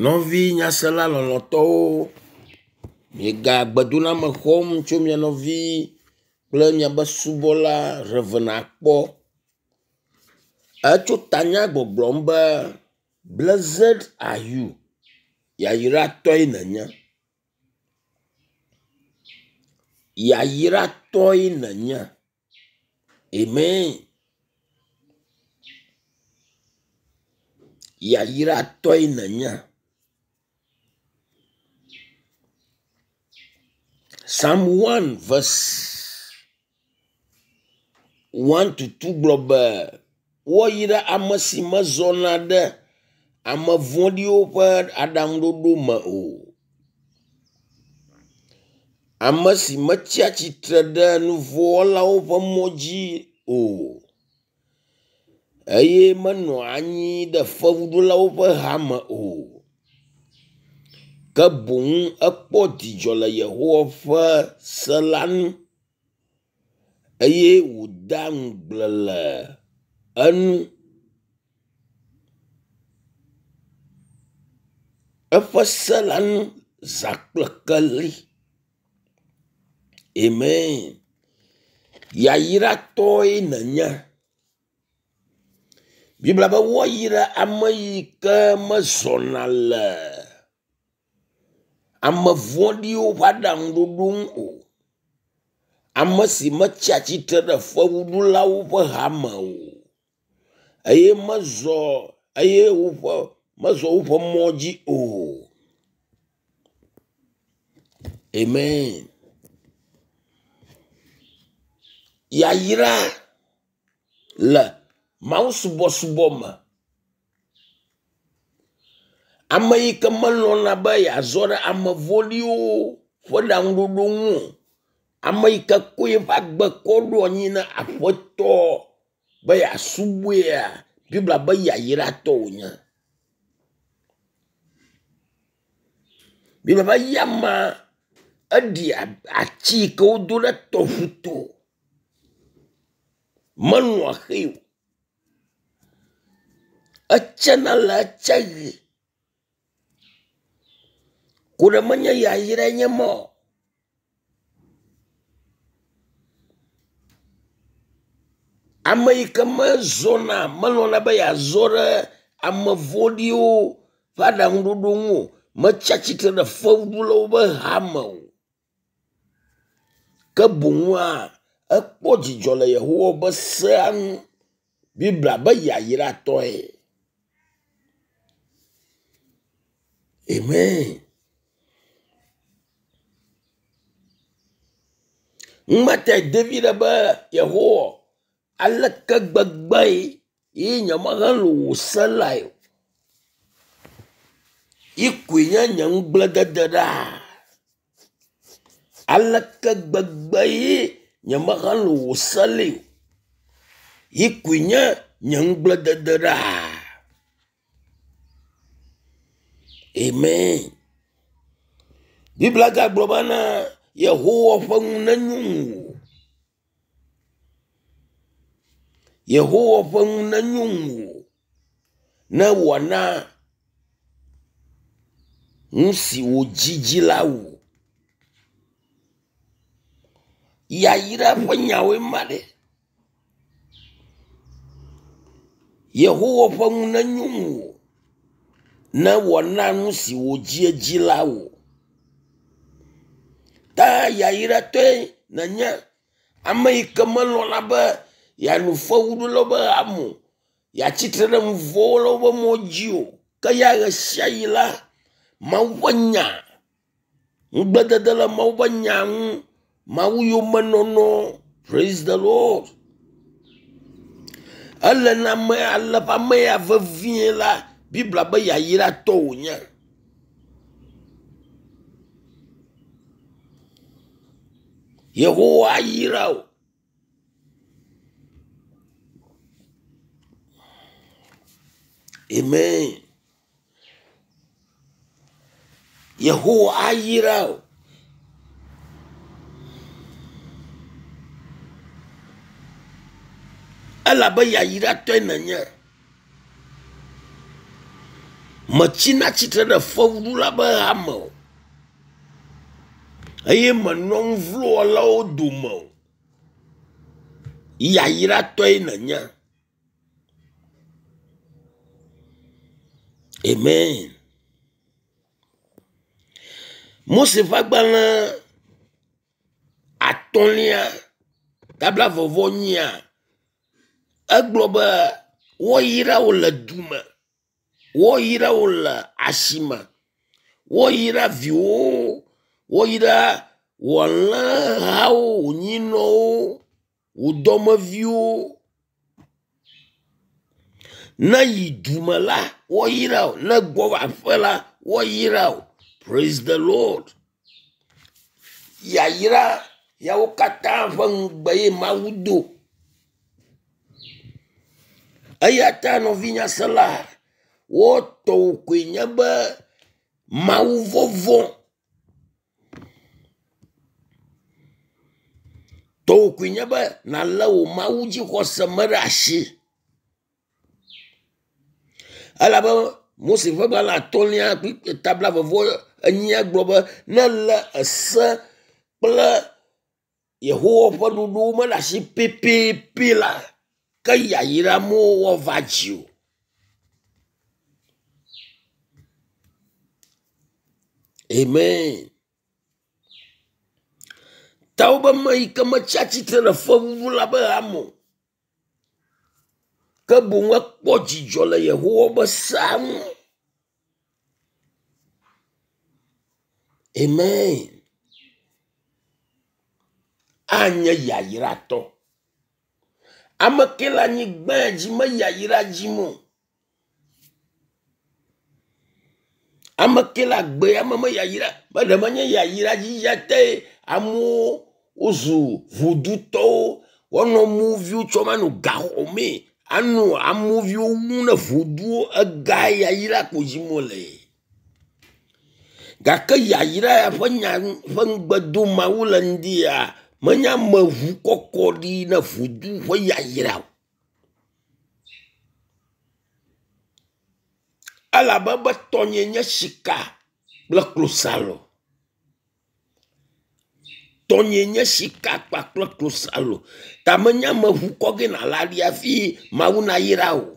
Nɔvi nyasela lɔlɔ̃tɔwo, miega gbedoname xɔm tso mia nɔvi kple miabe subɔla Rev. Akpɔ. Etso tanya gbɔgblɔm be blessed are you, yayratɔe nènye. Yayratɔe nènye. Amen. Yayratɔe nènye. Psalm 1 verse 1 to 2 gblɔ be woayra ame si mezɔna ɖe ame vɔ̃ɖiwo ƒe aɖaŋuɖoɖo me o. Ame si metsia tsitre ɖe nu vɔ̃ wɔlawo ƒe mɔ dzi o eye menɔa anyi ɖe fewuɖulawo ƒe hame o. Ke boŋ ekpɔ dzidzɔ le Yehowa ƒe se la ŋu eye wòdea ŋugble le enu. Eƒe se la ŋu zã kple keli. Amen. Yayratɔe nènye. Biblia be woayra ame yi ke mezɔna le ame vɔ̃ɖiwo ƒe aɖaŋuɖoɖo ŋu o. Ame si metsia tsitre ɖe fewuɖulawo ƒe hame o eye mezɔ eye woƒe mezɔ woƒe mɔ dzi o. Amen. Yayra le mawusubɔsubɔ me. Ame yi ke melɔ̃na be yeazɔ ɖe ame vɔ̃ɖiwo ƒe ɖaŋuɖoɖo ŋu o. Ame yi ke ko eƒe agbe kɔ ɖo anyi na Aƒetɔ be yeasubɔea, Biblia be yayratɔ wònye. Biblia be eya amea eɖi ati yi ke wodo ɖe tɔʋu to. Melɔ̃a xee o. Etsena le etseɣi. Ku ɖe menye yayrae nye ma o. Ame yi ke mezɔna melɔ̃na be yeazɔ ɖe ame vɔ̃ɖiwo ƒe aɖaŋuɖoɖo ŋu o. Metsi atsitre ɖe fewuɖulawo ƒe hame o. Ke boŋua ekpɔ dzidzɔ le Yehowa ƒe sea ŋu. Biblia be yayratɔe. Amen. Ŋumatae David be Yehowa aleke gbegbe ye nyemehelo wò se lae o. Yi koe nye nye ŋugbledede ɖaa. Aleke gbegbe ye nyemehelo wò se lae o. Yi koe nye nye ŋugbledede ɖaa. Amen. Biblia gagblɔ bena Yehowa ƒe nu nenyo ŋuwò. Yehowa ƒe nu nenyo ŋuwò ne wòana nu si wò dzi di la wò. Yayra ƒe nyawoe ma ɖe. Yehowa ƒe nu nenyo ŋuwò ne wòana nu si wò dzi di la wò. Ta yayratɔe nènye ame yi ke melɔ̃na be yeanɔ fewuɖulawo ƒe hame o, yeatsi tre ɖe nu vɔ̃ wɔlawo ƒe mɔ dzi o. Ke ya ɣesiaɣi la, Mawu ƒe nya, ŋugbledede le Mawu ƒe nya ŋu, Mawu yomenɔnɔ, praise the Lord. Ele na ame ale ƒe ame ya vevie la, Biblia be yayratɔ wònye. Yehowa ayra wò. Amen. Yehowa ayra wò. Elabe yayratɔe nènye. Metsina tsitre ɖe fewuɖula be hame o eye menɔ nu vlo wɔlawo dome o. Yayratɔe nènye. Amen. Mose ƒe agbalẽ atɔ̃lia tabla vɔvɔ nyia egblɔ be woyra wò le du me, woyra wò le asime, woyra viwòwo, woyra wò alẽhawo, wò nyinɔwo, wò dɔmeviwo. Ne yi du me la, woayra wò. Ne gbɔ va aƒe la, woayra wò. Praise the Lord. Yayra yawo katã ƒe ŋugbe ye Mawu do. Eya ta nɔvinyasela, wo tɔwò koe nye be Mawu vɔvɔ̃. Tɔwò koe nye be nàlé wò Mawu dzixɔse me ɖe asi. Elabe Mose ƒe gbalẽ atɔ̃lia kple ta blaeve vɔ enyia gblɔ be ne èlé ese kple Yehowa ƒe ɖoɖowo me ɖe asi pɛpɛpɛ la, ke yayra mawo woava dziwò. Amen. Ta wobe ame yi ke metsi atsitre ɖe fewuɖu la be hame o. Ke boŋ ekpɔ dzidzɔ le Yehowa be sea ŋu. Amen. Anye yayratɔ. Ame ke le anyigba dzi me yayra dzim o. Ame ke le agbe ya me me yayra me ɖe menye yayra dzidzi te amewo wozu vodutɔwo woanɔ amewo tsɔm anɔ gaxɔ mee anɔ amewo wum ne voduwo ega yayra ko dzim wole. Gake yayra ya ƒe nya ƒe ŋugbe dom Mawu le ŋdi ya menye ameŋu kɔkɔ ɖi ne vodu ƒe yayra o. Elabe be tɔnye nye sika kple klosalo. Tɔnye nye sika kpakple klosalo. Ta menye ame ŋu kɔ ge nàla ɖi hafi Mawu nayra wò.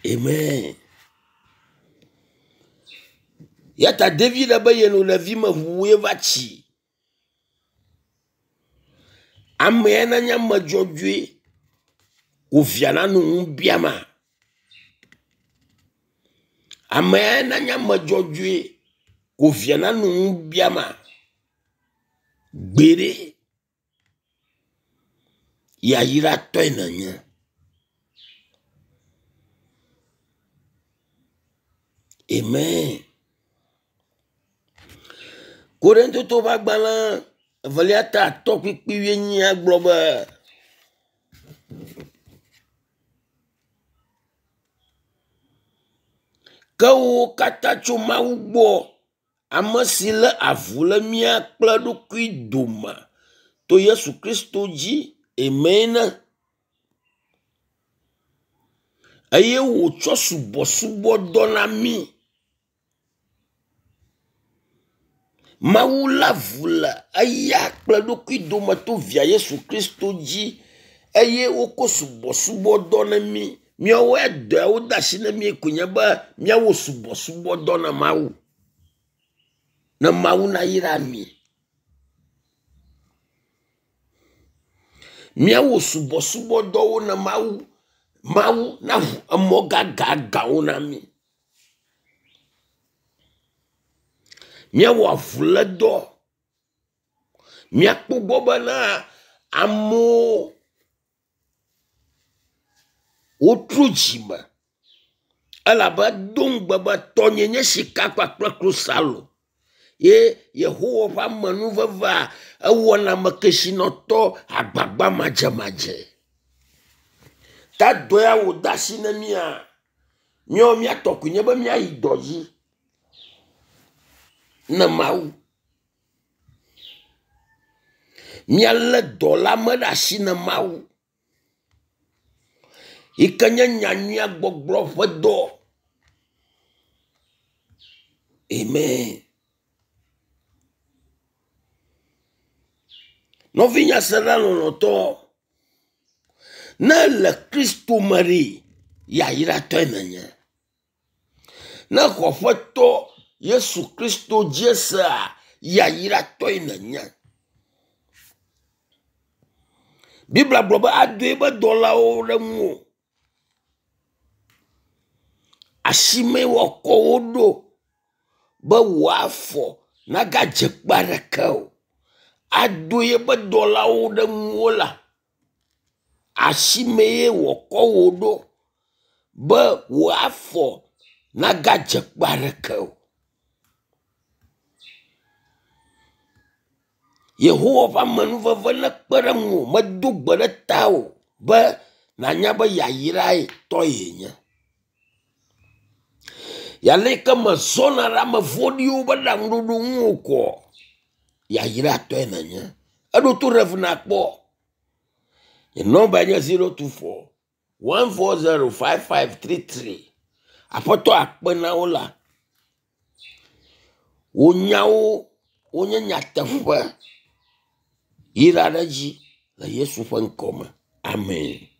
Amen. Ya ta David be yenɔ ɖevime ʋuu ye va tsi. Amea nanye ame dzɔdzɔe ko via nanɔ nu biama? Amea nanye ame dzɔdzɔe ko via nanɔ nu biama? Gbeɖe yayratɔe nènye. Amen. Korintotowo ƒe agbalẽ evelia ta atɔ̃ kpukpui wuienyia gblɔ be, Ke wo katã tso Mawu gbɔ, ame si lé avu le mía kple eɖokui dome to Yesu Kristo dzi. Amen. Eye wòtsɔ subɔsubɔdɔ na mí. Mawu lé avu le eya kple eɖokui dome to via Yesu Kristo dzi eye wokɔ subɔsubɔdɔ na mí. Míawoe dɔe wode asi na mí koe nye be míawɔ subɔsubɔdɔ na Mawu. Ne Mawu nayra mí. Míawɔ subɔsubɔdɔwo na Mawu. Mawu naʋu emɔ gãgãgãwo na mí. Míawɔ avulédɔ. Míakpɔ gbɔ bena amewo wotrɔ dzime elabe edo ŋugbe be tɔnye nye sika kpakple klosalo ye Yehowa ƒe amenuvevea ewɔna ame kesinɔtɔ agbagba madzemadzee. Ta dɔ ya wòde asi na mía, míawo mía tɔ koe nye be míayi dɔ dzi ne Mawu. Míalé dɔ la me ɖe asi ne Mawu. Yi ke nye nyanyuia gbɔgblɔ ƒe dɔ. Amen. Nɔvinye sela lɔlɔ̃tɔ, ne le Kristo me ɖi, yayratɔe nènye. Ne xɔ Aƒetɔ Yesu Kristo dzi sea, yayratɔe nènye. Biblia gblɔ be ado eƒe dɔlawo ɖe ŋuwò. Asime woakɔ wo ɖo be wò afɔ nagadze kpe aɖeke o. Ado yeƒe dɔlawo ɖe ŋuwò la, asime ye wòakɔ wò ɖo be wò afɔ nagadze kpe aɖeke o. Yehowa ƒe amenuveve nekpe ɖe ŋuwò. Medo gbe ɖe tawò be nànya be yayrae tɔ yenye. Ale yi ke mèzɔna ɖe ame vɔ̃ɖiwo ƒe ɖaŋuɖoɖo ŋu o koa, yayratɔe nènye. Eɖo to Rev nakpɔ. Nye nɔmbae nye 024 140 5533. Aƒetɔ akpe na wo la. Wò nyawo wonye nyateƒe. Yra ɖe edzi le Yesu ƒe ŋkɔ me. Amen.